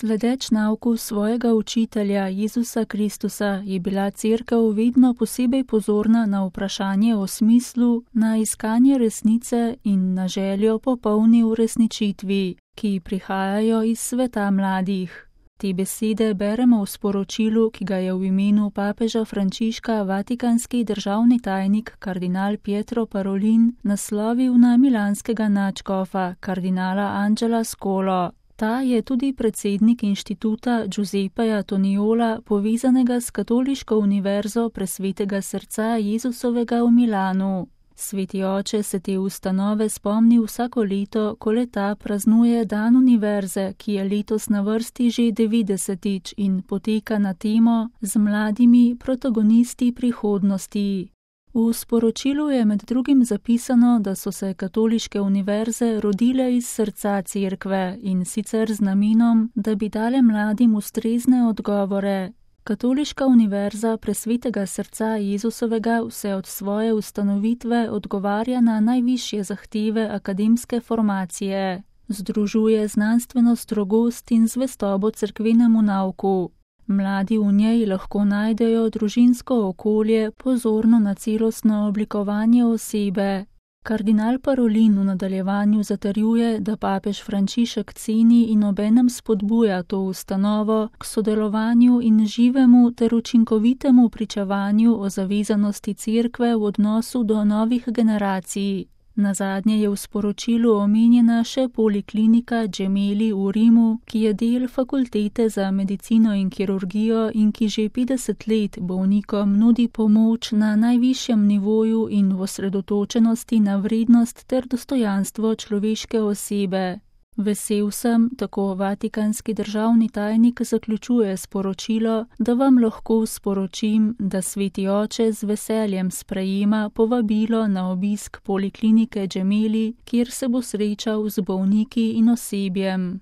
Sledeč nauku svojega učitelja Jezusa Kristusa je bila Cerkev vedno posebej pozorna na vprašanje o smislu, na iskanje resnice in na željo po polni uresničitvi, ki prihajajo iz sveta mladih. Te besede beremo v sporočilu, ki ga je v imenu papeža Frančiška vatikanski državni tajnik kardinal Pietro Parolin naslovil na milanskega nadškofa kardinala Angela Scolo. Ta je tudi predsednik inštituta Giuseppeja Toniola, povezanega s Katoliško univerzo Presvetega srca Jezusovega v Milanu. Sveti oče se te ustanove spomni vsako leto, ko le-ta praznuje dan univerze, ki je letos na vrsti že 90. in poteka na temo Z mladimi protagonisti prihodnosti. V sporočilu je med drugim zapisano, da so se katoliške univerze rodile iz srca Cerkve in sicer z namenom, da bi dale mladim ustrezne odgovore. Katoliška univerza Presvetega srca Jezusovega vse od svoje ustanovitve odgovarja na najvišje zahteve akademske formacije. Združuje znanstveno strogost in zvestobo cerkvenemu nauku. Mladi v njej lahko najdejo družinsko okolje, pozorno na celostno oblikovanje osebe. Kardinal Parolin v nadaljevanju zatrjuje, da papež Frančišek ceni in obenem spodbuja to ustanovo k sodelovanju in živemu ter učinkovitemu pričevanju o zavezanosti Cerkve v odnosu do novih generacij. Nazadnje je v sporočilu omenjena še poliklinika Gemelli v Rimu, ki je del fakultete za medicino in kirurgijo in ki že 50 let bolnikom nudi pomoč na najvišjem nivoju in v osredotočenosti na vrednost ter dostojanstvo človeške osebe. Vesel sem, tako vatikanski državni tajnik zaključuje sporočilo, da vam lahko sporočim, da Sveti oče z veseljem sprejema povabilo na obisk poliklinike Gemelli, kjer se bo srečal z bolniki in osebjem.